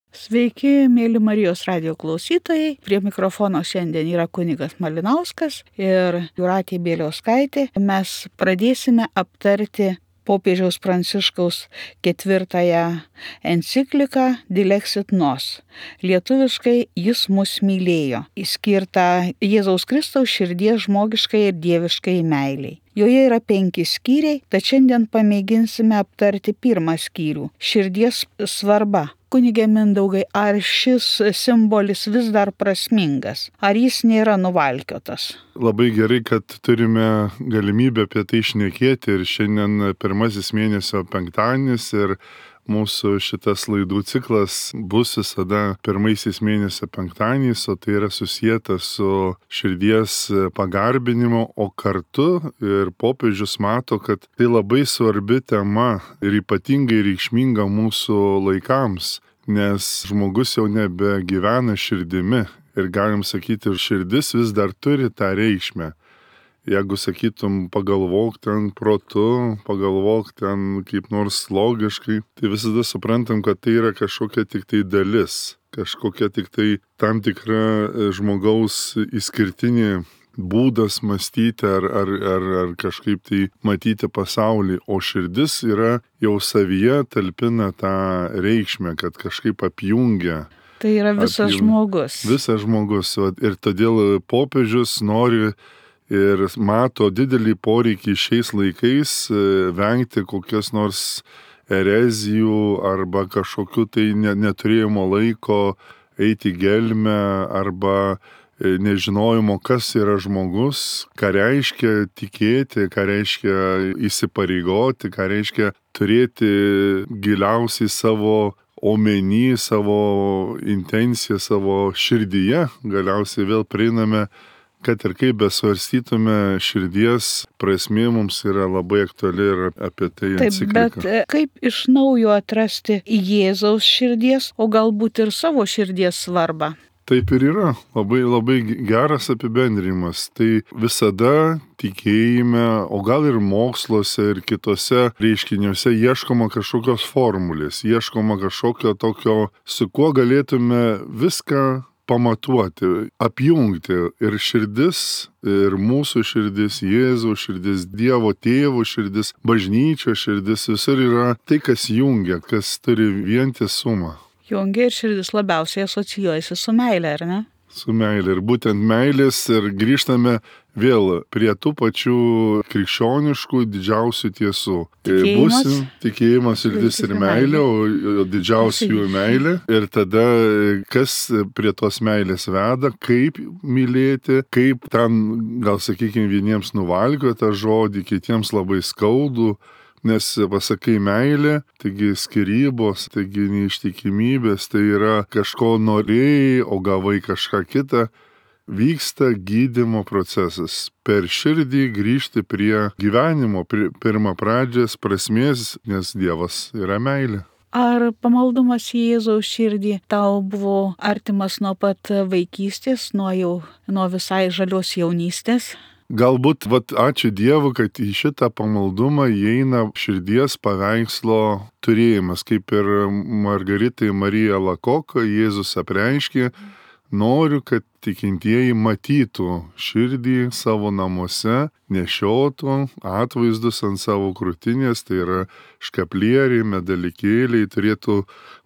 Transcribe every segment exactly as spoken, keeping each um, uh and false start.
Sveiki, mėly Marijos radijo klausytojai. Prie mikrofono šiandien yra kunigas Malinauskas ir Jūratė Bieliauskaitė. Mes pradėsime aptarti popiežiaus Pranciškaus ketvirtąją encikliką Dilexit Nos. Lietuviškai Jis mus mylėjo, skirtą Jėzaus Kristaus širdies žmogiškai ir dieviškai meiliai. Joje yra penki skyriai, tad šiandien pamėginsime aptarti pirmą skyrių – širdies svarba. Kunige Mindaugai, ar šis simbolis vis dar prasmingas? Ar jis nėra nuvalkiotas? Labai gerai, kad turime galimybę apie tai šnekėti ir šiandien pirmasis mėnesio penktadienis ir mūsų šitas laidų ciklas bus visada pirmaisiais mėnesio penktadieniais, o tai yra susijęta su širdies pagarbinimu, o kartu ir popiežius mato, kad tai labai svarbi tema ir ypatingai reikšminga mūsų laikams, nes žmogus jau nebegyvena širdimi ir galim sakyti, ir širdis vis dar turi tą reikšmę. Jeigu sakytum, pagalvok ten protu, pagalvok ten kaip nors logiškai, tai visada suprantam, kad tai yra kažkokia tik tai dalis, kažkokia tik tai tam tikra žmogaus išskirtinė būdas mąstyti ar, ar, ar, ar kažkaip tai matyti pasaulį, o širdis yra jau savyje talpina tą reikšmę, kad kažkaip apjungia. Tai yra visas apjungia. žmogus. Visas žmogus. Ir todėl popiežius nori ir mato didelį poreikį šiais laikais vengti kokias nors erezijų arba kažkokiu tai neturėjimo laiko eiti gelmę arba nežinojimo, kas yra žmogus, ką reiškia tikėti, ką reiškia įsipareigoti, ką reiškia turėti giliausiai savo omeny, savo intenciją, savo širdyje. Galiausiai vėl prieiname, kad ir kaip besvarstytume, širdies prasmė mums yra labai aktuali ir apie tai enciklika. Taip, bet kaip iš naujo atrasti Jėzaus širdies, o galbūt ir savo širdies svarbą? Taip ir yra. Labai, labai geras apibendrimas. Tai visada tikėjime, o gal ir moksluose ir kitose reiškiniuose ieškoma kažkokios formulės, ieškoma kažkokio tokio, su kuo galėtume viską pamatuoti, apjungti ir širdis, ir mūsų širdis, Jėzaus širdis, Dievo tėvo širdis, bažnyčios širdis, visur yra tai, kas jungia, kas turi vientisumą. Jungia ir širdis labiausiai asocijuojasi su meile, ar ne? Su meilė. Ir būtent meilės ir grįžtame vėl prie tų pačių krikščioniškų didžiausių tiesų. Tikėjimas. Būsim tikėjimas, širdis ir meilė, o didžiausių jų meilė. Ir tada kas prie tos meilės veda, kaip mylėti, kaip ten, gal sakykime, vieniems nuvalgo tą žodį, kitiems labai skaudų. Nes pasakai meilė, taigi skyrybos, taigi neištikimybės, tai yra kažko norėjai, o gavai kažką kitą, vyksta gydymo procesas. Per širdį grįžti prie gyvenimo, prie pirmą pradžios prasmės, nes Dievas yra meilė. Ar pamaldumas į Jėzaus širdį tau buvo artimas nuo pat vaikystės, nuo jau nuo visai žalios jaunystės? Galbūt, vat, ačiū Dievui, kad į šitą pamaldumą įeina širdies paveikslo turėjimas, kaip ir Margaritai Marija Lakok, Jėzus apreiškė, noriu, kad tikintieji matytų širdį savo namuose, nešiotų atvaizdus ant savo krūtinės, tai yra škaplieriai, medalikėliai, turėtų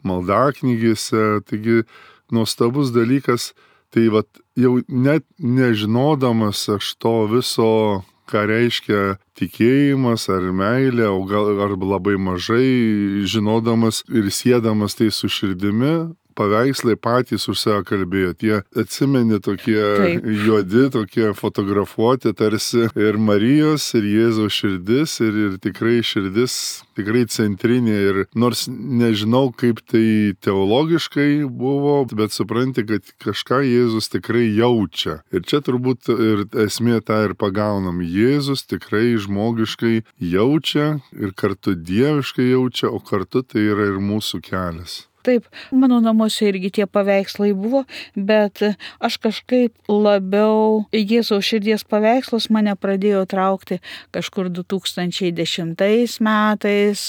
maldaknygėse, taigi nuostabus dalykas. Tai vat, jau net nežinodamas aš to viso, ką reiškia tikėjimas ar meilė, o gal ar labai mažai žinodamas ir siedamas tai su širdimi, paveikslai patys už save kalbėjo. Tie atsimeni tokie Taip. juodi, tokie fotografuoti tarsi ir Marijos, ir Jėzaus širdis, ir, ir tikrai širdis, tikrai centrinė. Ir nors nežinau, kaip tai teologiškai buvo, bet supranti, kad kažką Jėzus tikrai jaučia. Ir čia turbūt ir esmė tą ir pagaunam. Jėzus tikrai žmogiškai jaučia ir kartu dieviškai jaučia, o kartu tai yra ir mūsų kelias. Taip, mano namuose irgi tie paveikslai buvo, bet aš kažkaip labiau Jėzaus širdies paveikslas mane pradėjo traukti kažkur du tūkstančiai dešimtais metais.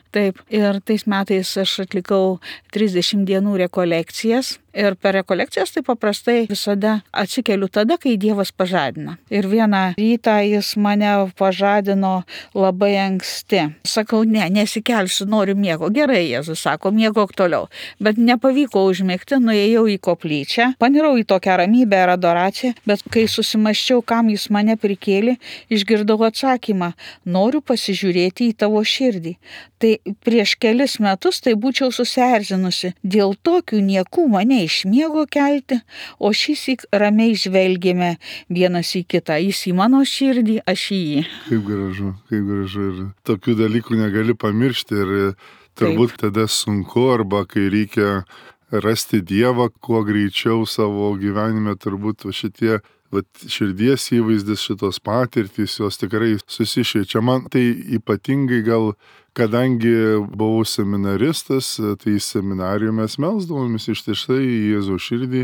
Taip, ir tais metais aš atlikau trisdešimt dienų rekolekcijas. Ir per rekolekcijas tai paprastai visada atsikeliu tada, kai Dievas pažadina. Ir vieną rytą jis mane pažadino labai anksti. Sakau, ne, nesikelsiu, noriu miego. Gerai, Jėzus sako, miegok toliau. Bet nepavyko užmigti, nuėjau į koplyčią, panirau į tokią ramybę ir adoraciją, bet kai susimaščiau, kam jis mane prikėlė, išgirdau atsakymą, noriu pasižiūrėti į tavo širdį. Tai prieš kelis metus tai būčiau susierzinusi, dėl tokių niekų mane iš miego kelti, o šįsyk ramiai žvelgėme vienas į kitą, jis į mano širdį, aš į jį. Kaip gražu, kaip gražu. Ir tokių dalykų negali pamiršti ir turbūt Taip. Tada sunku, arba kai reikia rasti Dievą kuo greičiau savo gyvenime, turbūt šitie vat, širdies įvaizdis, šitos patirtys, jos tikrai susišviečia. Man tai ypatingai gal, kadangi buvau seminaristas, tai seminarijų mes melsdavomės ištisai į Jėzaus širdį,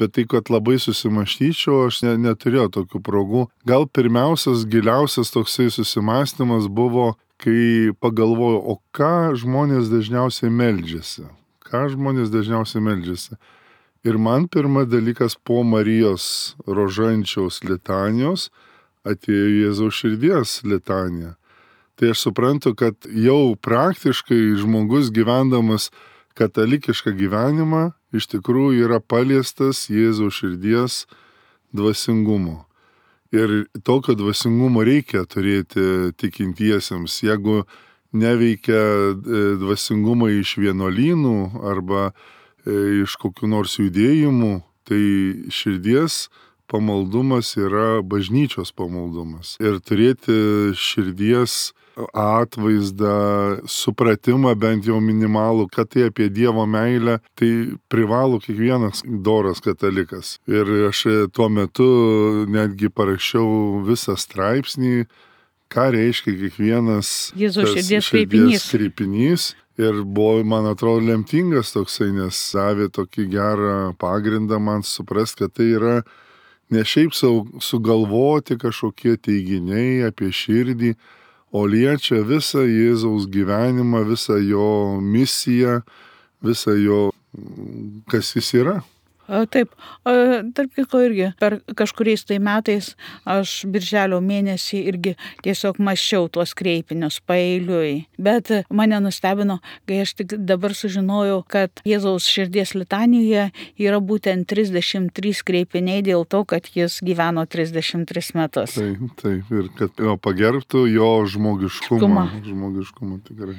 bet tai, kad labai susimaštyčiau, aš ne, neturėjau tokių progų. Gal pirmiausias, giliausias toksai susimastymas buvo, kai pagalvojau, o ką žmonės dažniausiai meldžiasi? Ką žmonės dažniausiai meldžiasi? Ir man pirmas dalykas po Marijos rožančiaus litanijos atėjo Jėzaus širdies litanija. Tai aš suprantu, kad jau praktiškai žmogus gyvendamas katalikišką gyvenimą iš tikrųjų yra paliestas Jėzaus širdies dvasingumo. Ir tokio dvasingumo reikia turėti tikintiesiems. Jeigu neveikia dvasingumo iš vienuolynų arba iš kokių nors judėjimų, tai širdies pamaldumas yra bažnyčios pamaldumas. Ir turėti širdies atvaizdą, supratimą bent jau minimalų, kad tai apie Dievo meilę, tai privalo kiekvienas doras katalikas. Ir aš tuo metu netgi parašiau visą straipsnį, ką reiškia kiekvienas Jėzaus širdies kreipinys. kreipinys. Ir buvo, man atrodo, lemtingas toksai, nes davė tokį gerą pagrindą man suprast, kad tai yra ne šiaip sau sugalvoti kažkokie teiginiai apie širdį, o liečia visą Jėzaus gyvenimą, visą jo misiją, visą jo, kas jis yra. Taip, tarp kitko irgi, per kažkuriais tai metais aš birželio mėnesį irgi tiesiog mąsčiau tuos kreipinius paeiliui. Bet mane nustebino, kai aš tik dabar sužinojau, kad Jėzaus širdies litanijoje yra būtent trisdešimt trys kreipiniai dėl to, kad jis gyveno trisdešimt tris metus. Taip, taip, ir kad jo pagerbtų jo žmogiškumą. Žmogiškumą tikrai.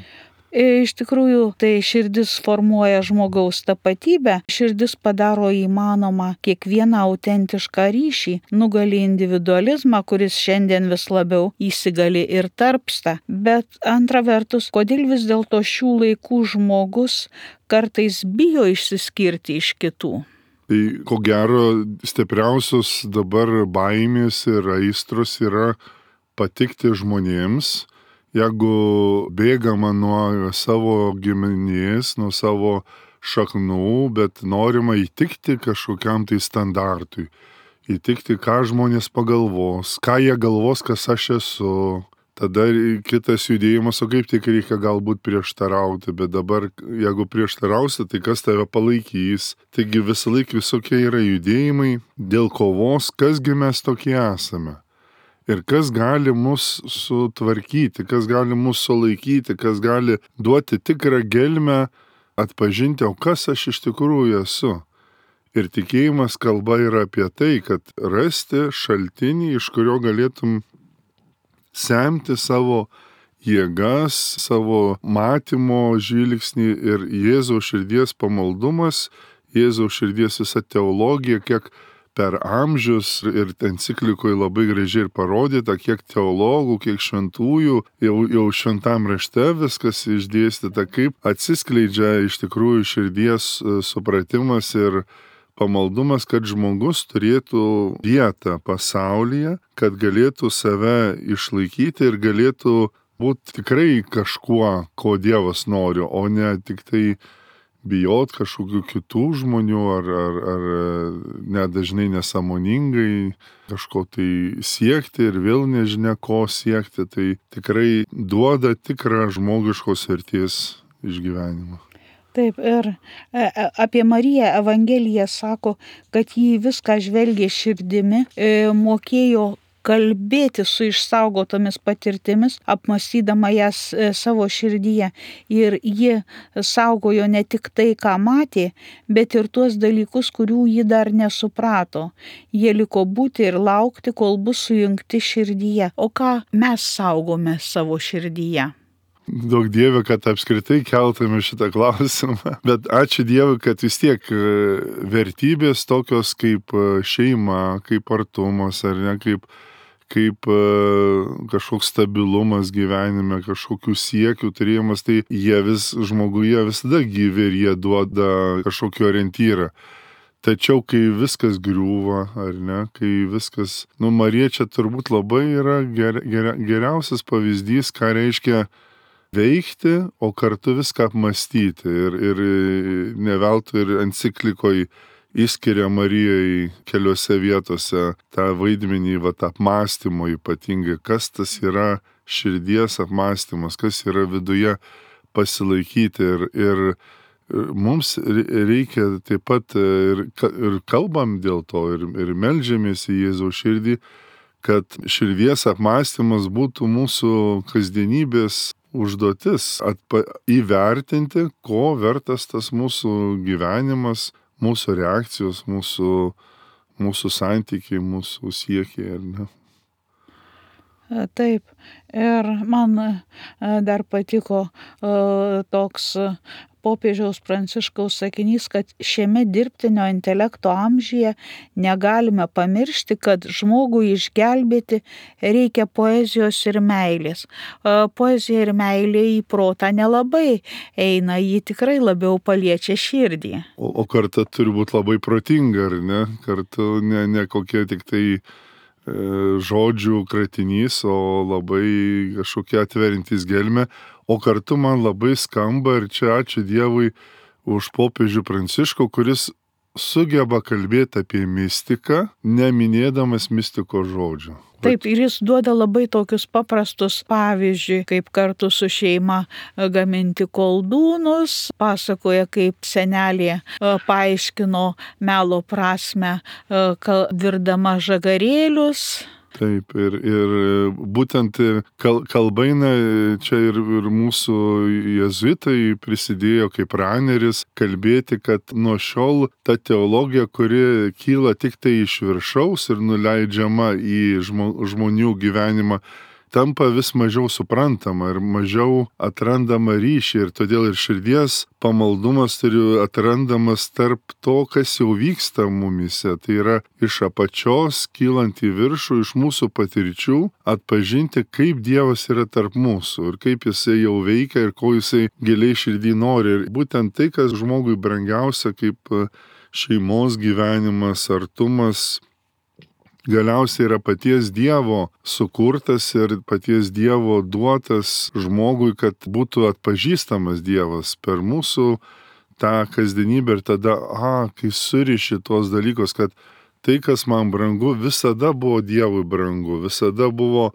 Iš tikrųjų, tai širdis formuoja žmogaus tapatybę, širdis padaro įmanomą kiekvieną autentišką ryšį, nugali individualizmą, kuris šiandien vis labiau įsigali ir tarpsta. Bet antra vertus, kodėl vis dėlto šių laikų žmogus kartais bijo išsiskirti iš kitų? Tai ko gero stipriausios dabar baimės ir aistros yra patikti žmonėms. Jeigu bėgama nuo savo giminės, nuo savo šaknų, bet norima įtikti kažkokiam tai standartui, įtikti, ką žmonės pagalvos, ką jie galvos, kas aš esu. Tada kitas judėjimas, o kaip tik reikia galbūt prieštarauti, bet dabar, jeigu prieštarausi, tai kas tave palaikys. Taigi visą laiką visokie yra judėjimai dėl kovos, kasgi mes tokie esame. Ir kas gali mus sutvarkyti, kas gali mus sulaikyti, kas gali duoti tikrą gelmę, atpažinti, o kas aš iš tikrųjų esu. Ir tikėjimas kalba yra apie tai, kad rasti šaltinį, iš kurio galėtum semti savo jėgas, savo matymo žvilgsnį, ir Jėzaus širdies pamaldumas, Jėzaus širdies visa teologija, kiek per amžius ir enciklikoje labai gražiai ir parodyta, kiek teologų, kiek šventųjų, jau, jau šventam rašte viskas išdėstyta, kaip atsiskleidžia iš tikrųjų širdies supratimas ir pamaldumas, kad žmogus turėtų vietą pasaulyje, kad galėtų save išlaikyti ir galėtų būti tikrai kažkuo, ko Dievas nori, o ne tik tai bijot kažkokių kitų žmonių ar, ar, ar net dažnai nesąmoningai kažko tai siekti ir vėl nežinia ko siekti, tai tikrai duoda tikrą žmogiškos vertės išgyvenimą. Taip, ir apie Mariją Evangelija sako, kad jį viską žvelgė širdimi, mokėjo kalbėti su išsaugotomis patirtimis, apmąstydama jas savo širdyje. Ir ji saugojo ne tik tai, ką matė, bet ir tuos dalykus, kurių ji dar nesuprato. Jie liko būti ir laukti, kol bus sujungti širdyje. O ką mes saugome savo širdyje? Daug Dieve, kad apskritai keltume šitą klausimą, bet ačiū Dievui, kad vis tiek vertybės tokios kaip šeima, kaip artumas ar ne, kaip, kaip kažkoks stabilumas gyvenime, kažkokių siekių turėjimas, tai jie vis žmoguje visada gyvi ir jie duoda kažkokį orientyrą. Tačiau, kai viskas griūva, ar ne, kai viskas, nu, Marija čia turbūt labai yra ger, ger, geriausias pavyzdys, ką reiškia veikti, o kartu viską apmąstyti. Ir, ir ne veltui ir enciklikoje įskiria Marijai keliose vietose tą vaidmenį, va, tą apmąstymo ypatingai, kas tas yra širdies apmąstymas, kas yra viduje pasilaikyti. Ir, ir mums reikia taip pat ir, ir kalbam dėl to, ir, ir meldžiamės į Jėzaus širdį, kad širdies apmąstymas būtų mūsų kasdienybės užduotis, atpa, įvertinti, ko vertas tas mūsų gyvenimas, mūsų reakcijos, mūsų, mūsų santykiai, mūsų siekiai, ar ne? Taip, ir man dar patiko toks popiežiaus Pranciškaus sakinys, kad šiame dirbtinio intelekto amžiuje negalime pamiršti, kad žmogui išgelbėti reikia poezijos ir meilės. Poezija ir meilė į protą nelabai eina, ji tikrai labiau paliečia širdį. O, o kartu turi būti labai protinga, ar ne? Kartu ne, ne kokie tik tai e, žodžių kratinys, o labai kažkokie atverintis gelmę. O kartu man labai skamba, ir čia ačiū Dievui už popiežių Pranciškų, kuris sugeba kalbėti apie mistiką, neminėdamas mistikos žodžių. Taip, ir jis duoda labai tokius paprastus pavyzdžiui, kaip kartu su šeima gaminti koldūnus, pasakoja, kaip senelė paaiškino melo prasmę virdama žagarėlius. Taip, ir, ir būtent kal, kalbaina čia ir, ir mūsų jėzuitai prisidėjo kaip raneris kalbėti, kad nuo šiol ta teologija, kuri kyla tik tai iš viršaus ir nuleidžiama į žmo, žmonių gyvenimą, tampa vis mažiau suprantama ir mažiau atrandama ryšį, ir todėl ir širdies pamaldumas turi atrandamas tarp to, kas jau vyksta mumyse. Tai yra iš apačios kylant į viršų, iš mūsų patirčių, atpažinti, kaip Dievas yra tarp mūsų ir kaip jisai jau veikia ir ko jisai giliai širdį nori. Ir būtent tai, kas žmogui brangiausia, kaip šeimos gyvenimas, artumas, galiausiai yra paties Dievo sukurtas ir paties Dievo duotas žmogui, kad būtų atpažįstamas Dievas per mūsų tą kasdienybę. Ir tada, a, kai suriši tuos dalykus, kad tai, kas man brangu, visada buvo Dievui brangu, visada buvo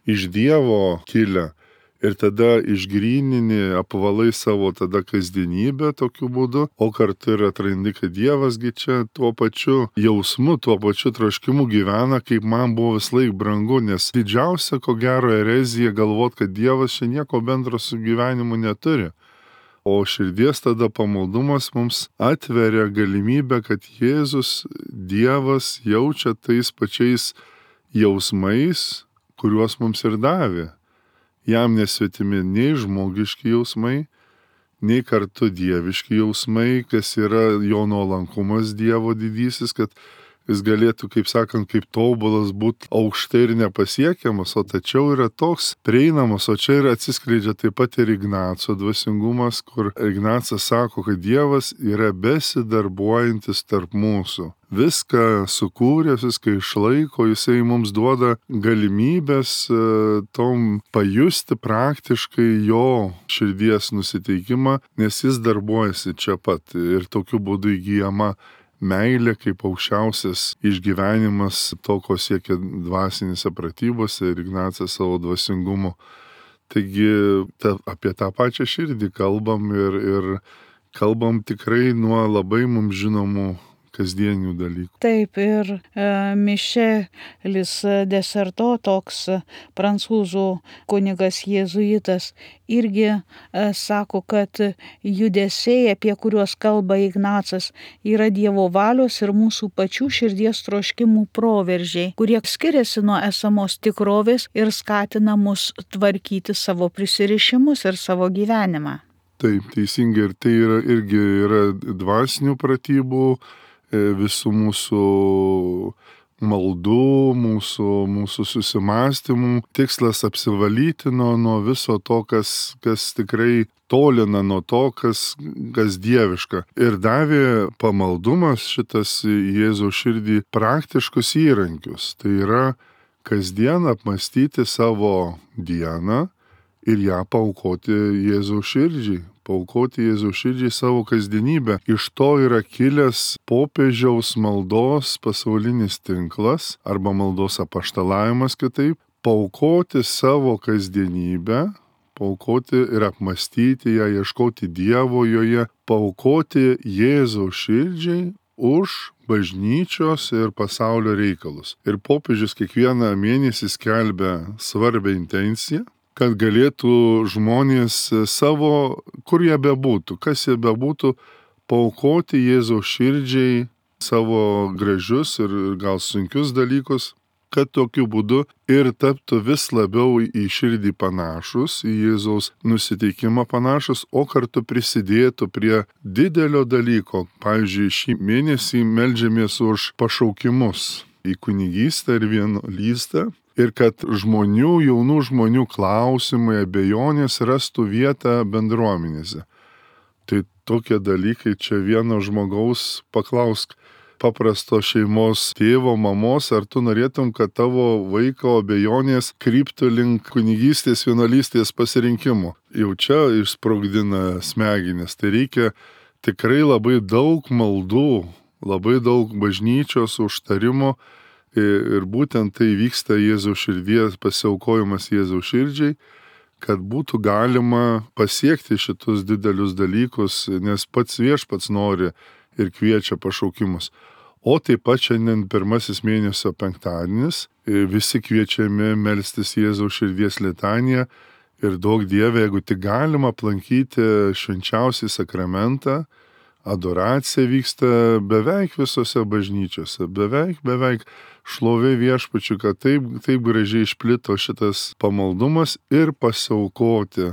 iš Dievo kilę. Ir tada išgrynini, apvalai savo tada kasdienybę tokiu būdu, o kartu ir atrandi, kad Dievasgi čia tuo pačiu jausmu, tuo pačiu troškimu gyvena, kaip man buvo vis laik brangu, nes didžiausia, ko gero, erezija galvot, kad Dievas čia nieko bendro su gyvenimu neturi. O širdies tada pamaldumas mums atveria galimybę, kad Jėzus, Dievas jaučia tais pačiais jausmais, kuriuos mums ir davė. Jam nesvetimi nei žmogiški jausmai, nei kartu dieviški jausmai, kas yra jo nuolankumas Dievo didysis, kad jis galėtų, kaip sakant, kaip tobulas būti aukštai ir nepasiekiamas, o tačiau yra toks prieinamas, o čia ir atsiskleidžia taip pat ir Ignaco dvasingumas, kur Ignacas sako, kad Dievas yra besidarbuojantis tarp mūsų. Viską sukūrė, viską išlaiko, jisai mums duoda galimybės tom pajusti praktiškai jo širdies nusiteikimą, nes jis darbuojasi čia pat ir tokiu būdu įgyjama meilė kaip aukščiausias išgyvenimas to, ko siekia dvasinėse pratybose ir Ignacas savo dvasingumu. Taigi ta, apie tą pačią širdį kalbam ir, ir kalbam tikrai nuo labai mums žinomų kasdienių dalykų. Taip, ir e, Mišelis Deserto, toks prancūzų kunigas jėzuitas, irgi e, sako, kad judesiai, apie kuriuos kalba Ignacas, yra Dievo valios ir mūsų pačių širdies troškimų proveržiai, kurie skiriasi nuo esamos tikrovės ir skatina mus tvarkyti savo prisirišimus ir savo gyvenimą. Taip, teisingai, ir tai yra, irgi yra dvasinių pratybų, visų mūsų maldų, mūsų, mūsų susimastymų. Tikslas apsivalyti nuo, nuo viso to, kas, kas tikrai tolina nuo to, kas, kas dieviška. Ir davė pamaldumas šitas Jėzaus širdį praktiškus įrankius. Tai yra kasdien apmastyti savo dieną ir ją paaukoti Jėzaus širdžiai. Paaukoti Jėzaus širdžiai savo kasdienybę. Iš to yra kilęs popiežiaus maldos pasaulinis tinklas arba maldos apaštalavimas kitaip. Paaukoti savo kasdienybę, paaukoti ir apmastyti ją, ieškoti Dievo joje, paaukoti Jėzaus širdžiai už bažnyčios ir pasaulio reikalus. Ir popiežius kiekvieną mėnesį skelbia svarbią intenciją, kad galėtų žmonės savo, kur jie bebūtų, kas jie bebūtų, paaukoti Jėzaus širdžiai savo gražius ir gal sunkius dalykus, kad tokiu būdu ir taptų vis labiau į širdį panašus, į Jėzaus nusiteikimą panašus, o kartu prisidėtų prie didelio dalyko. Pavyzdžiui, šį mėnesį meldžiamės už pašaukimus į kunigystę ir vienuolystę. Ir kad žmonių, jaunų žmonių klausimai, abejonės rastų vietą bendruomenėse. Tai tokie dalykai čia vieno žmogaus paklausk paprasto šeimos tėvo, mamos, ar tu norėtum, kad tavo vaiko abejonės kryptų link kunigystės, vienuolystės pasirinkimo. Jau čia išsprogdina smegenis. Tai reikia tikrai labai daug maldų, labai daug bažnyčios užtarimo. Ir būtent tai vyksta Jėzaus širdies pasiaukojimas Jėzaus širdžiai, kad būtų galima pasiekti šitus didelius dalykus, nes pats Viešpats nori ir kviečia pašaukimus. O taip pat šiandien pirmasis mėnesio penktadienis, visi kviečiami melstis Jėzaus širdies litaniją ir duok Dieve, jeigu tik galima aplankyti švenčiausią sakramentą. Adoracija vyksta beveik visose bažnyčiose, beveik, beveik šlovė Viešpačiui, kad taip, taip gražiai išplito šitas pamaldumas ir pasiaukoti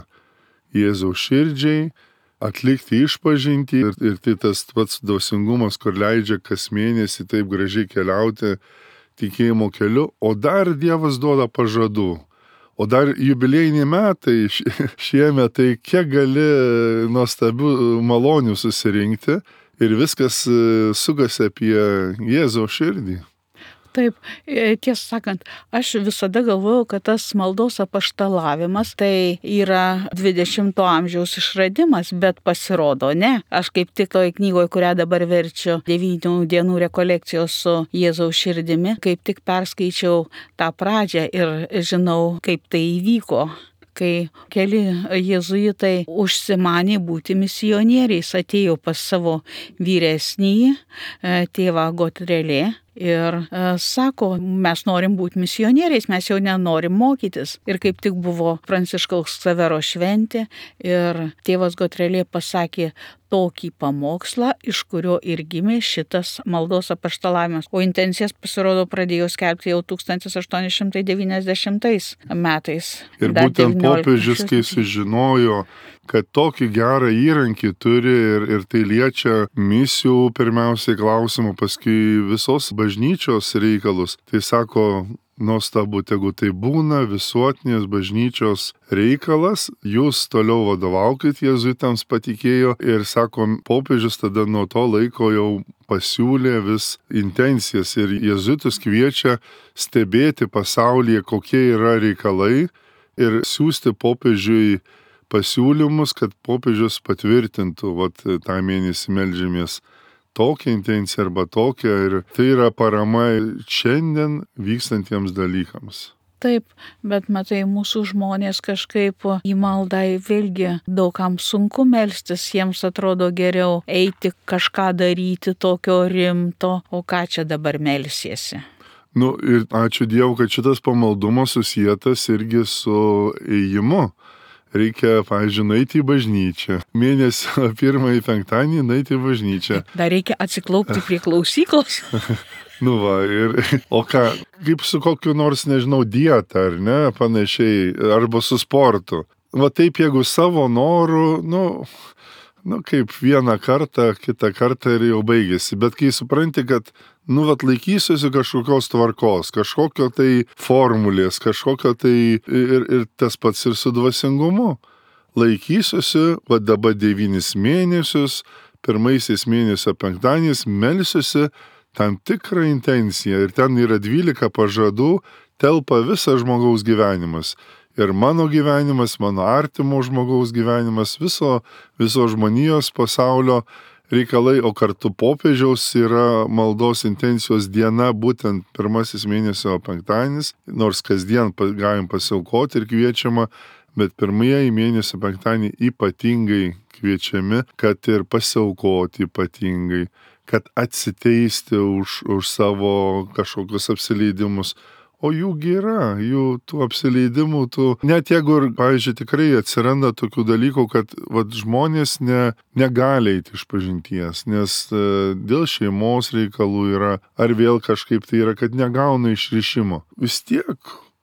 Jėzaus širdžiai, atlikti išpažintį ir, ir tai tas pats dvasingumas, kur leidžia kas mėnesį taip gražiai keliauti tikėjimo keliu, o dar Dievas duoda pažadų. O dar jubiliejiniai metai šiemet, tai kiek gali nuostabių malonių susirinkti ir viskas sugasi apie Jėzaus širdį. Taip, tiesą sakant, aš visada galvojau, kad tas maldos apaštalavimas tai yra dvidešimto amžiaus išradimas, bet pasirodo ne. Aš kaip tik toj knygoje, kurią dabar verčiu, devynių dienų rekolekcijos su Jėzaus širdimi, kaip tik perskaičiau tą pradžią ir žinau, kaip tai įvyko. Kai keli jėzuitai užsimanė būti misionieriais, atėjo pas savo vyresnįjį tėvą Gotrelė. Ir e, sako, mes norim būti misionieriais, mes jau nenorim mokytis. Ir kaip tik buvo Pranciškaus Ksavero šventė ir tėvas Gotrelė pasakė tokį pamokslą, iš kurio ir gimė šitas maldos apaštalavimas. O intencijas pasirodo pradėjo skelbti jau tūkstantis aštuoni šimtai devyniasdešimtais metais. Ir būtent popiežius, kai sužinojo kad tokį gerą įrankį turi ir, ir tai liečia misijų pirmiausiai klausimų, paskui visos bažnyčios reikalus. Tai sako, nuostabu, tegu tai būna visuotinės bažnyčios reikalas, jūs toliau vadovaukit, jėzuitams patikėjo ir sako, popiežius tada nuo to laiko jau pasiūlė vis intencijas ir jėzuitus kviečia stebėti pasaulyje, kokie yra reikalai ir siūsti popiežiui pasiūlymus, kad popiežius patvirtintų, vat tą mėnesį meldžiamės tokią intenciją arba tokią ir tai yra parama šiandien vykstantiems dalykams. Taip, bet matai, mūsų žmonės kažkaip į maldą vėlgi daugam sunku melstis, jiems atrodo geriau eiti kažką daryti tokio rimto, o ką čia dabar melsiesi. Nu ir ačiū Dievui, kad šitas pamaldumas susietas irgi su ėjimu. Reikia, pavyzdžiui, nueiti į bažnyčią. Mėnesio pirmąjį penktadienį nueiti į bažnyčią. Dar reikia atsiklaupti prie klausyklos. Nu va, ir, o ką, kaip su kokiu nors, nežinau, dieta, ar ne, panašiai, arba su sportu. Va taip, jeigu savo noru, nu, nu kaip vieną kartą, kitą kartą ir jau baigėsi. Bet kai supranti, kad nu, vat laikysiuosi kažkokios tvarkos, kažkokio tai formulės, kažkokio tai ir, ir tas pats ir su dvasingumu. Laikysiuosi, va dabar devynis mėnesius, pirmaisiais mėnesio penktadieniais melsiuosi tam tikrą intenciją ir ten yra dvylika pažadų, telpa visas žmogaus gyvenimas. Ir mano gyvenimas, mano artimo žmogaus gyvenimas, viso, viso žmonijos pasaulio reikalai, o kartu popiežiaus yra maldos intencijos diena, būtent pirmasis mėnesio penktadienis, nors kasdien galim pasiaukoti ir kviečiama, bet pirmieji mėnesio penktadienį ypatingai kviečiami, kad ir pasiaukoti ypatingai, kad atsiteisti už, už savo kažkokius apsileidimus. O jųgi yra, jų tų apsileidimų, tų, net jeigu ir, pavyzdžiui, tikrai atsiranda tokių dalykų, kad vat, žmonės ne, negali eiti iš pažinties, nes e, dėl šeimos reikalų yra, ar vėl kažkaip tai yra, kad negauna išrišimo. Vis tiek,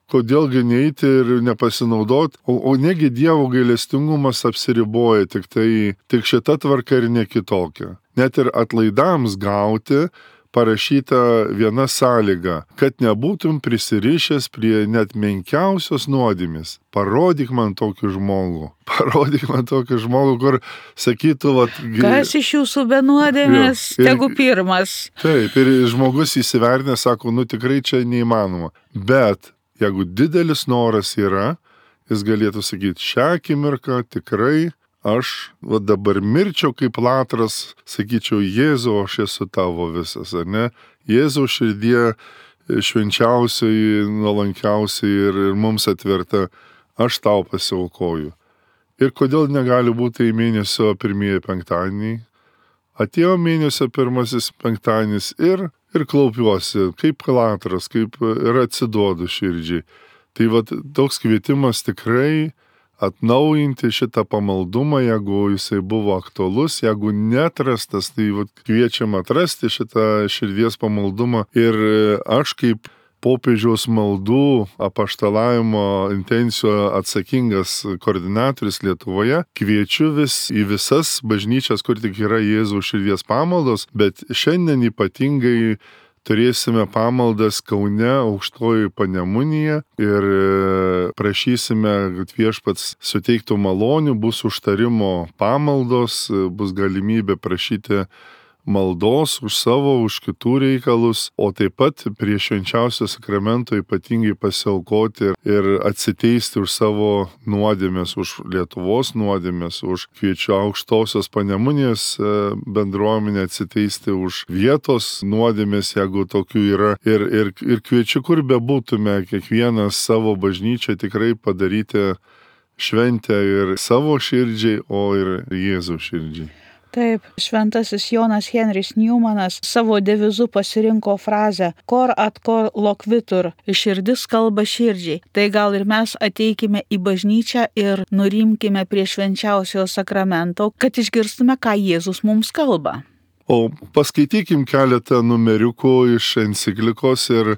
kodėlgi neiti ir nepasinaudot, o, o negi Dievo gailestingumas apsiriboja, tik tai, tik šita tvarka ir ne kitokia. Net ir atlaidams gauti, parašyta viena sąlyga, kad nebūtum prisirišęs prie net menkiausios nuodėmės. Parodyk man tokį žmogų. Parodyk man tokį žmogų, kur sakytų, vat... Kas iš jūsų be nuodėmės, tegu pirmas. Taip, ir žmogus įsivertinę, sako, nu tikrai čia neįmanoma. Bet jeigu didelis noras yra, jis galėtų sakyti, šią akimirką tikrai aš va, dabar mirčiau kaip latras, sakyčiau, Jėzau, aš esu tavo visas, ar ne? Jėzau širdie švenčiausiai, nuolankiausiai ir, ir mums atverta, aš tau pasiaukoju. Ir kodėl negali būti į mėnesio pirmieji penktadieniai? Atėjo mėnesio pirmasis penktadienis ir, ir klaupiuosi, kaip latras, kaip ir atsiduodu širdžiai. Tai va, toks kvietimas tikrai atnaujinti šitą pamaldumą, jeigu jisai buvo aktualus, jeigu netrastas, tai vat, kviečiam atrasti šitą širdies pamaldumą. Ir aš kaip popiežiaus maldų apaštalavimo intencijų atsakingas koordinatorius Lietuvoje kviečiu vis į visas bažnyčias, kur tik yra Jėzaus širdies pamaldos, bet šiandien ypatingai turėsime pamaldas Kaune, Aukštojoje Panemunėje ir prašysime, kad viešpats suteiktų malonių, bus užtarimo pamaldos, bus galimybė prašyti maldos už savo, už kitų reikalus, o taip pat prie švenčiausio sakramento ypatingai pasiaukoti ir atsiteisti už savo nuodėmės, už Lietuvos nuodėmės, už kviečiu Aukštosios Panemunės bendruomenę atsiteisti už vietos nuodėmės, jeigu tokių yra. Ir, ir, ir kviečiu, kur bebūtume, kiekvienas savo bažnyčią tikrai padaryti šventę ir savo širdžiai, o ir Jėzaus širdžiai. Taip, šventasis Jonas Henris Newmanas savo devizu pasirinko frazę cor ad cor loquitur, širdis kalba širdžiai. Tai gal ir mes ateikime į bažnyčią ir nurimkime prie švenčiausio sakramento, kad išgirstume, ką Jėzus mums kalba. O paskaitykim keletą numeriukų iš enciklikos ir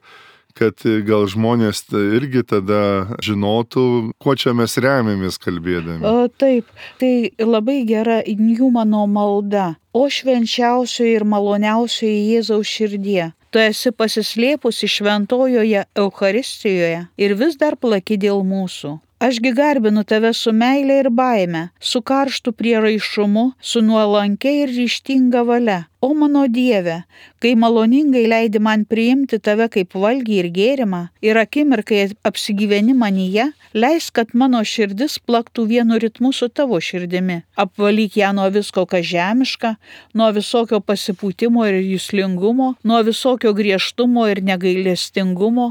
kad gal žmonės irgi tada žinotų, kuo čia mes remiamės kalbėdami. O, taip, tai labai gera Njumano malda. O švenčiausioji ir maloniausioji Jėzaus širdie, tu esi pasislėpusi šventojoje Eucharistijoje ir vis dar plaki dėl mūsų. Ašgi garbinu tave su meile ir baime, su karštu prieraišumu, su nuolankia ir ryžtinga valia. O mano Dieve, kai maloningai leidi man priimti tave kaip valgį ir gėrimą ir akimirkai apsigyveni manyje, leis, kad mano širdis plaktų vienu ritmu su tavo širdimi. Apvalyk ją nuo visko, kas žemiška, nuo visokio pasipūtimo ir juslingumo, nuo visokio griežtumo ir negailestingumo,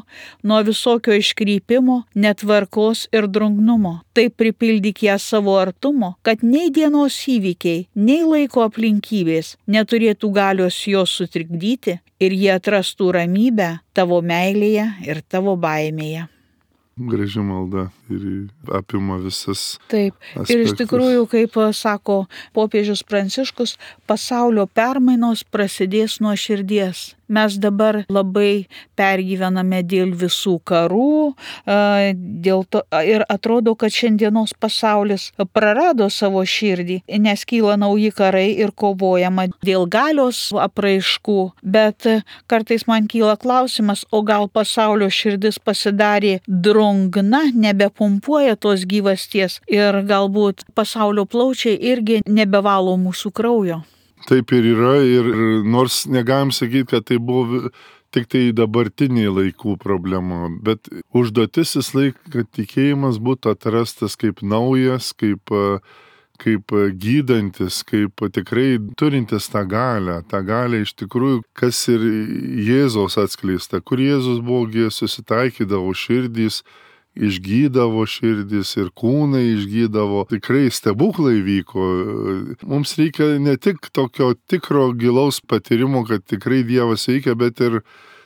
nuo visokio iškrypimo, netvarkos ir drungnumo. Taip pripildyk ją savo artumo, kad nei dienos įvykiai, nei laiko aplinkybės neturėtų galios jos sutrikdyti ir jie atrastų ramybę tavo meilėje ir tavo baimėje. Graži malda ir apima visas. Taip. Aspektus. Ir iš tikrųjų, kaip sako popiežius Pranciškus, pasaulio permainos prasidės nuo širdies. Mes dabar labai pergyvename dėl visų karų, dėl to, ir atrodo, kad šiandienos pasaulis prarado savo širdį, nes kyla nauji karai ir kovojama dėl galios apraiškų, bet kartais man kyla klausimas, o gal pasaulio širdis pasidarė drungna, nebepumpuoja tos gyvasties ir galbūt pasaulio plaučiai irgi nebevalo mūsų kraujo. Taip ir yra, ir nors negalim sakyti, kad tai buvo tik tai dabartiniai laikų problema, bet užduotis vis laik, kad tikėjimas būtų atrastas kaip naujas, kaip, kaip gydantis, kaip tikrai turintis tą galę, tą galę iš tikrųjų, kas ir Jėzaus atskleista, kur Jėzus buvo susitaikydavo širdys, išgydavo širdis ir kūnai išgydavo, tikrai stebuklai vyko. Mums reikia ne tik tokio tikro gilaus patyrimo, kad tikrai Dievas veikia, bet ir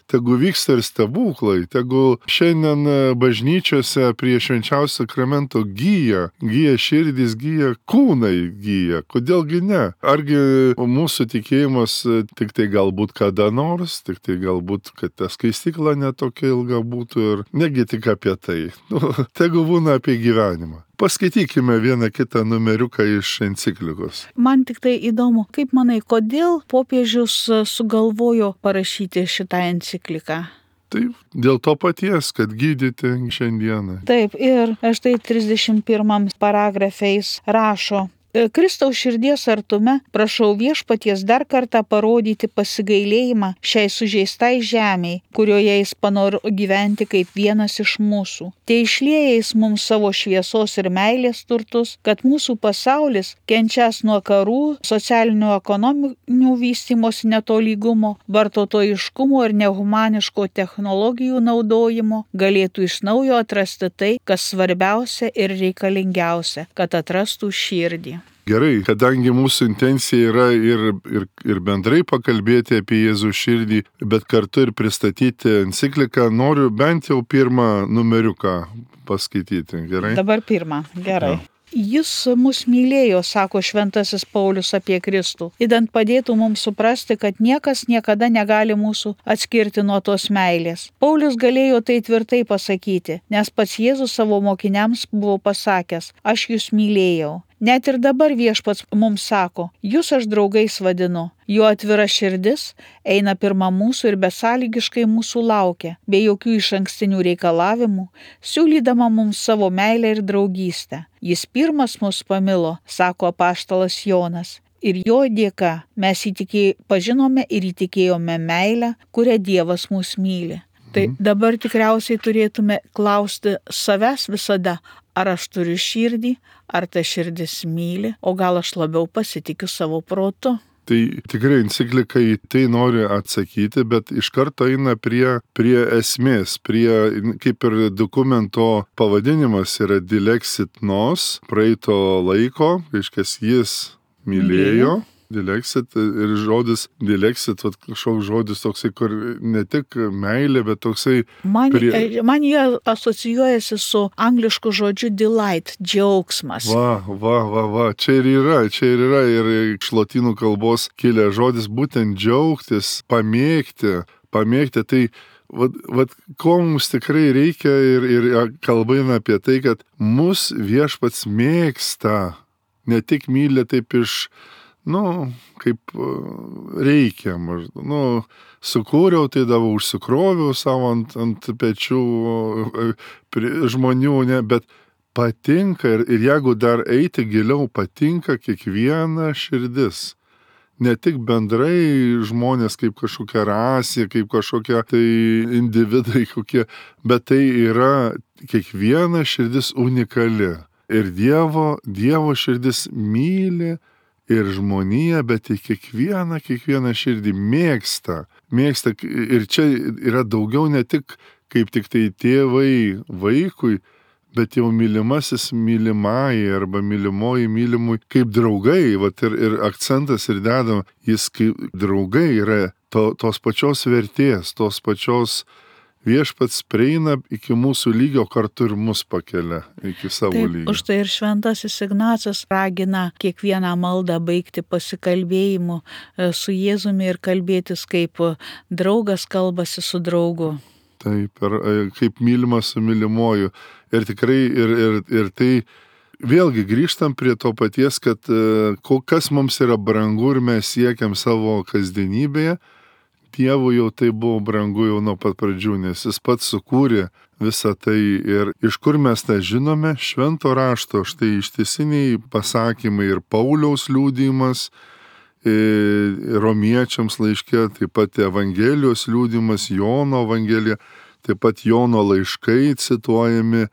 tegu vyksta ir stebuklai, tegu šiandien bažnyčiose prie švenčiausio sakramento gyja, gyja širdis, gyja kūnai gyja, kodėlgi ne? Argi mūsų tikėjimas tik tai galbūt kada nors, tik tai galbūt, kad ta skaistykla netokia ilga būtų ir negi tik apie tai. Nu, tegu būna apie gyvenimą. Paskaitykime vieną kitą numeriuką iš enciklikos. Man tik tai įdomu, kaip manai, kodėl popiežius sugalvojo parašyti šitą encikliką? Taip, dėl to paties, kad gydyti šiandieną. Taip, ir štai trisdešimt pirmam paragrafais rašo: Kristaus širdies artume prašau viešpaties dar kartą parodyti pasigailėjimą šiai sužeistai žemiai, kurioje jis panoro gyventi kaip vienas iš mūsų. Te išlieja jis mums savo šviesos ir meilės turtus, kad mūsų pasaulis, kenčias nuo karų, socialinių ekonominių vystymosi netolygumo, vartotojiškumo ir nehumaniško technologijų naudojimo, galėtų iš naujo atrasti tai, kas svarbiausia ir reikalingiausia, kad atrastų širdį. Gerai, kadangi mūsų intencija yra ir, ir, ir bendrai pakalbėti apie Jėzų širdį, bet kartu ir pristatyti encikliką, noriu bent jau pirmą numeriuką paskaityti, gerai? Dabar pirmą, gerai. Ja. Jis mus mylėjo, sako šventasis Paulius apie Kristų, idant padėtų mums suprasti, kad niekas niekada negali mūsų atskirti nuo tos meilės. Paulius galėjo tai tvirtai pasakyti, nes pats Jėzus savo mokiniams buvo pasakęs: aš jūs mylėjau. Net ir dabar viešpats mums sako: jūs aš draugais vadinu. Jo atvira širdis eina pirma mūsų ir besąlygiškai mūsų laukia, be jokių išankstinių reikalavimų, siūlydama mums savo meilę ir draugystę. Jis pirmas mus pamilo, sako apaštalas Jonas, ir jo dėka mes įtikė, pažinome ir įtikėjome meilę, kurią Dievas mus myli. Tai dabar tikriausiai turėtume klausti savęs visada, ar aš turiu širdį, ar ta širdis myli, o gal aš labiau pasitikiu savo protu. Tai tikrai enciklika į tai nori atsakyti, bet iš karto eina prie, prie esmės, prie, kaip ir dokumento pavadinimas yra Dilexit nos, praeito laiko, reiškia jis mylėjo. Dilexit ir žodis dilexit, kažkoks žodis toksai, kur ne tik meilė, bet toksai... Man, prie... man jie asocijuojasi su anglišku žodžiu delight, džiaugsmas. Va, va, va, va, čia ir yra, čia ir yra ir iš lotynų kalbos kilę žodis būtent džiaugtis, pamėgti, pamėgti. Tai vat, vat, ko mums tikrai reikia ir, ir kalba eina apie tai, kad mus Viešpats mėgsta, ne tik myli taip iš, nu, kaip reikia maždaug, nu, sukūriau, tai davau, užsikroviau savo ant, ant pečių žmonių, ne, bet patinka ir, ir jeigu dar eiti giliau, patinka kiekviena širdis. Ne tik bendrai žmonės kaip kažkokia rasė, kaip kažkokia tai individai kokie, bet tai yra kiekviena širdis unikali. Ir Dievo, Dievo širdis myli ir žmoniją, bet į kiekvieną, kiekvieną širdį mėgsta. Mėgsta ir čia yra daugiau ne tik kaip tik tai tėvai vaikui, bet jau mylimasis mylimai arba mylimoji mylimui kaip draugai, vat ir, ir akcentas ir dedama, jis kaip draugai yra to, tos pačios vertės, tos pačios Viešpats prieina iki mūsų lygio, kartu ir mus pakelia iki savo Taip, lygio. Už tai ir šventasis Ignacas ragina kiekvieną maldą baigti pasikalbėjimu su Jėzumi ir kalbėtis kaip draugas kalbasi su draugu. Taip, ir kaip mylimas su mylimuoju. Ir tikrai, ir, ir, ir tai vėlgi grįžtam prie to paties, kad kas mums yra brangu ir mes siekiam savo kasdienybėje, Dievui jau tai buvo brangu jau nuo pat pradžių, nes jis pats sukūrė visą tai. Ir iš kur mes tą žinome? Švento rašto, štai ištisiniai pasakymai ir Pauliaus liudijimas, romiečiams laiške, taip pat Evangelijos liudijimas, Jono Evangelija, taip pat Jono laiškai cituojami,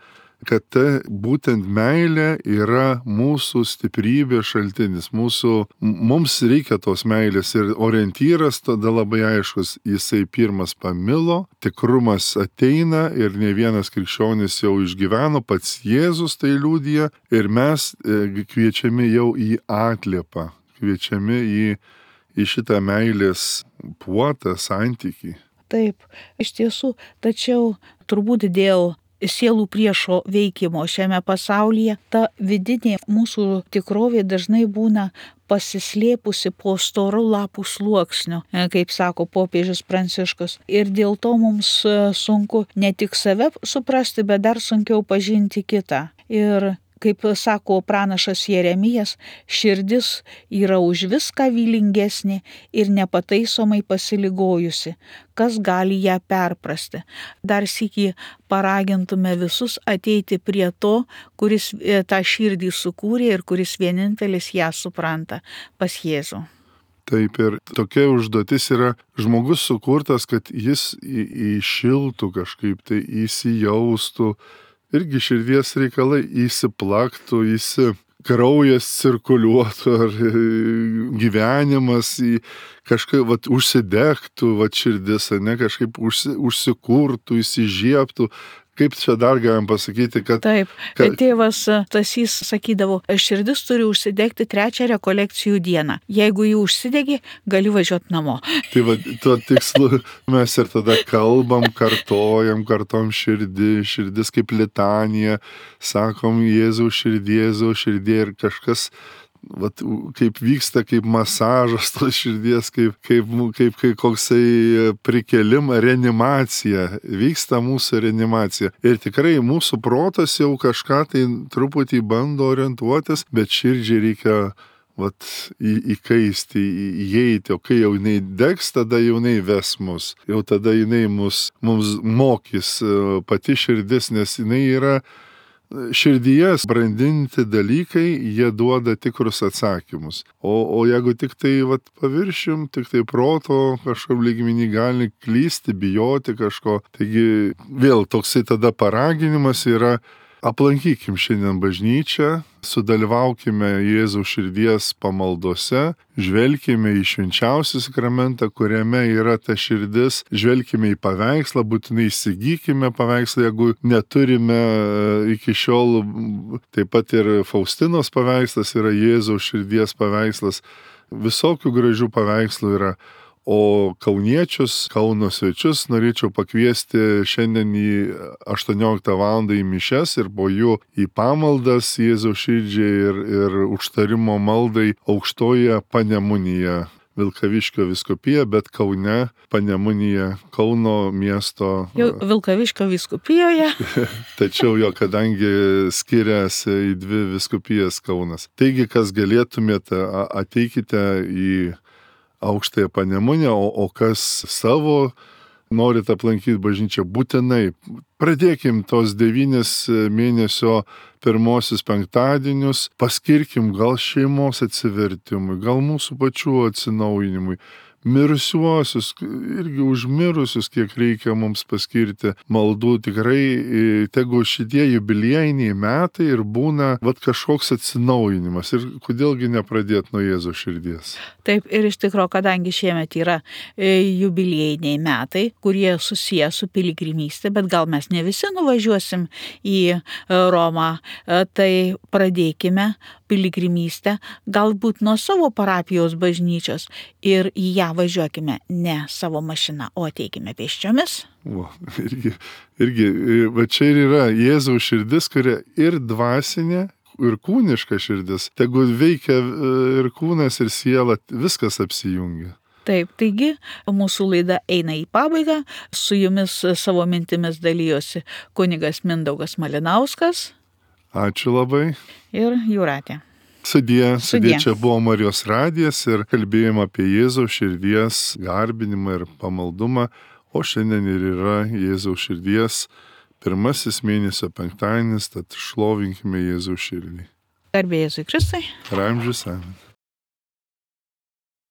kad ta būtent meilė yra mūsų stiprybė šaltinis. Mūsų, mums reikia tos meilės ir orientyras tada labai aiškus. Jisai pirmas pamilo, tikrumas ateina ir ne vienas krikščionis jau išgyveno, pats Jėzus tai liudija ir mes kviečiami jau į atliepą, kviečiami į, į šitą meilės puotą, santykį. Taip, iš tiesų, tačiau turbūt dėl sielų priešo veikimo šiame pasaulyje, ta vidinė mūsų tikrovė dažnai būna pasislėpusi po storų lapų sluoksniu, kaip sako popiežius Pranciškus. Ir dėl to mums sunku ne tik save suprasti, bet dar sunkiau pažinti kitą. Ir kaip sako pranašas Jeremijas, širdis yra už viską vylingesnė ir nepataisomai pasiligojusi. Kas gali ją perprasti? Dar sykį paragintume visus ateiti prie to, kuris tą širdį sukūrė ir kuris vienintelis ją supranta, pas Jėzų. Taip, ir tokia užduotis yra žmogus sukurtas, kad jis įšiltų kažkaip, tai įsijaustų, irgi širdies reikalai įsiplaktų, įsi, kraujas cirkuliuotų, ar gyvenimas į kažkaip vat, užsidegtų, vat, širdis, ne, kažkaip užsi, užsikurtų, įsižiebtų. Kaip čia dar galim pasakyti, kad... Taip, kad tėvas Stasys sakydavo, širdis turi užsidegti trečią rekolekcijų dieną. Jeigu jį užsidegi, gali važiuoti namo. Tai va, tuo tikslu mes ir tada kalbam, kartojam, kartom širdį, širdis kaip litanija, sakom Jėzau širdį, Jėzau širdį ir kažkas... Vat, kaip vyksta, kaip masažas tos širdies, kaip, kaip, kaip, kaip koksai prikelimą, reanimacija, vyksta mūsų reanimacija. Ir tikrai mūsų protas jau kažką tai truputį bando orientuotis, bet širdžiai reikia vat, į, įkaisti, į, įeiti, o kai jau jinai degs, tada jau jinai ves mus, jau tada jinai mus, mums mokys pati širdis, nes jinai yra širdyje brandinti dalykai, jie duoda tikrus atsakymus. O, o jeigu tik tai vat, paviršim, tik tai proto kažkaip lygmenį gali klysti, bijoti kažko. Taigi vėl toksai tada paraginimas yra, aplankykim šiandien bažnyčią, sudalyvaukime Jėzaus širdies pamaldose, žvelkime į švenčiausią sakramentą, kuriame yra ta širdis, žvelkime į paveikslą, būtinai įsigykime paveikslą, jeigu neturime iki šiol, taip pat ir Faustinos paveikslas yra Jėzaus širdies paveikslas, visokių gražių paveikslų yra. O kauniečius, Kauno svečius norėčiau pakviesti šiandien į aštuonioliktą valandą į mišias ir po jų į pamaldas Jėzaus širdžiai ir, ir užtarimo maldai Aukštojoje Panemunėje. Vilkaviškio vyskupija, bet Kaune, Panemunėje, Kauno miesto. Jau Vilkaviškio vyskupijoje. Tačiau jo, kadangi skiriasi į dvi vyskupijas Kaunas. Taigi, kas galėtumėte, ateikite į Aukštąją Panemunę, o, o kas savo norit aplankyti bažnyčią, būtinai pradėkim tos devynis mėnesio pirmosius penktadienius, paskirkim gal šeimos atsivertimui, gal mūsų pačių atsinaujinimui, mirusiuosius, irgi užmirusius, kiek reikia mums paskirti maldų. Tikrai, tegu šitie jubiliejiniai metai ir būna vat kažkoks atsinaujinimas. Ir kodėlgi nepradėti nuo Jėzaus širdies. Taip, ir iš tikrųjų, kadangi šiemet yra jubiliejiniai metai, kurie susiję su piligrimystė, bet gal mes ne visi nuvažiuosim į Romą, tai pradėkime piligrimystę galbūt nuo savo parapijos bažnyčios ir į ją važiuokime ne savo mašina, o ateikime pėsčiomis. O, irgi, irgi, va čia ir yra Jėzaus širdis, kuria ir dvasinė, ir kūniška širdis. Tegu veikia ir kūnas, ir siela, viskas apsijungia. Taip, taigi mūsų laida eina į pabaigą. Su jumis savo mintimis dalyjosi kunigas Mindaugas Malinauskas. Ačiū labai. Ir Jūratė. Sudie, sudie, čia buvo Marijos radijas ir kalbėjome apie Jėzaus širdies garbinimą ir pamaldumą, o šiandien ir yra Jėzaus širdies pirmasis mėnesio penktadienis, tad šlovinkime Jėzaus širdį. Garbė Jėzui Kristui. Per amžius amen.